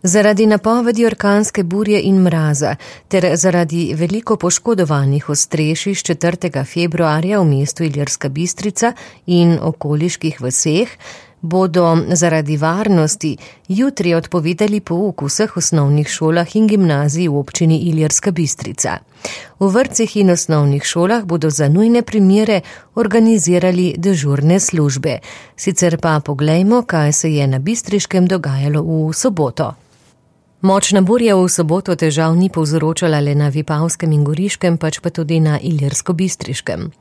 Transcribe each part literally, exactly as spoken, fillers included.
Zaradi napovedi orkanske burje in mraza ter zaradi veliko poškodovanih ostrešij s četrtega februarja v mestu Ilirska Bistrica in okoliških vaseh bodo zaradi varnosti jutri odpovedali pouk v vseh osnovnih šolah in gimnazij v občini Ilirska Bistrica. V vrtcih in osnovnih šolah bodo za nujne primere organizirali dežurne službe. Sicer pa poglejmo, kaj se je na Bistriškem dogajalo v soboto. Močna burja v soboto težav ni povzročala le na Vipavskem in Goriškem, pač pa tudi na Ilirsko-Bistriškem.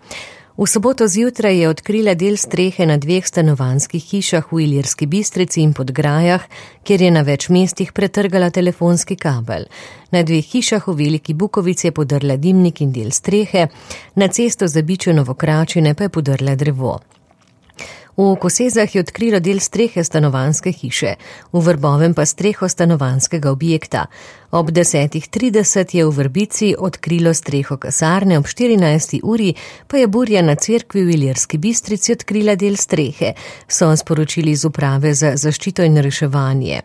V soboto zjutraj je odkrila del strehe na dveh stanovanjskih hišah v Ilirski Bistrici in Podgrajah, kjer je na več mestih pretrgala telefonski kabel. Na dveh hišah v Veliki Bukovici je podrla dimnik in del strehe, na cesto za Bičo Novokračine pa je podrla drevo. V Kosezah je odkrilo del strehe stanovanjske hiše, v Vrbovem pa streho stanovanjskega objekta. Ob desetih trideset je v Vrbici odkrilo streho kasarne, ob štirinajsti uri pa je burja na cerkvi v Ilirski Bistrici odkrila del strehe, so sporočili z uprave za zaščito in reševanje.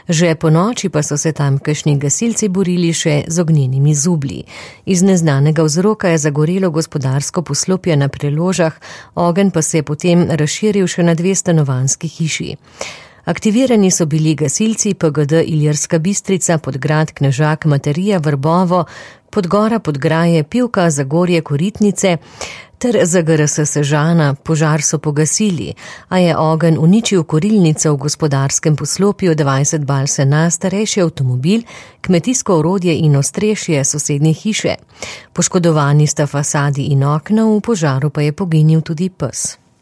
Že po noči pa so se tamkajšnji gasilci borili še z ognjenimi zublji. Iz neznanega vzroka je zagorelo gospodarsko poslopje na Preložah, ogenj pa se je potem razširil še na dve stanovanjski hiši. Aktivirani so bili gasilci P G D Ilirska Bistrica, Podgrad, Knežak, Materija, Vrbovo, Podgora, Podgraje, Pivka, Zagorje, Koritnice ter Z G R S Sežana. Požar so pogasili, a je ogenj uničil korilnico v gospodarskem poslopju, dvajset bal sena, starejši avtomobil, kmetijsko orodje in ostrešje sosednje hiše. Poškodovani sta fasadi in okna, v požaru pa je poginil tudi pes.